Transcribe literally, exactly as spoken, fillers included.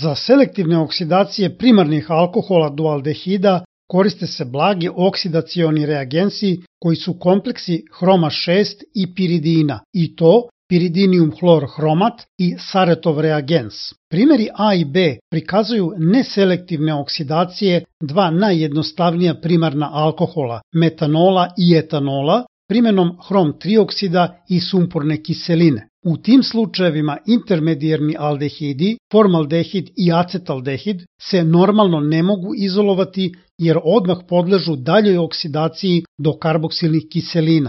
Za selektivne oksidacije primarnih alkohola dualdehida koriste se blagi oksidacioni reagensi koji su kompleksi hroma šest i piridina, i to piridinium hlor hromat i Saretov reagens. Primjeri A i B prikazuju neselektivne oksidacije dva najjednostavnija primarna alkohola, metanola i etanola, primjenom hrom tri oksida i sumporne kiseline. U tim slučajevima intermedijarni aldehidi, formaldehid i acetaldehid se normalno ne mogu izolovati jer odmah podležu daljoj oksidaciji do karboksilnih kiselina.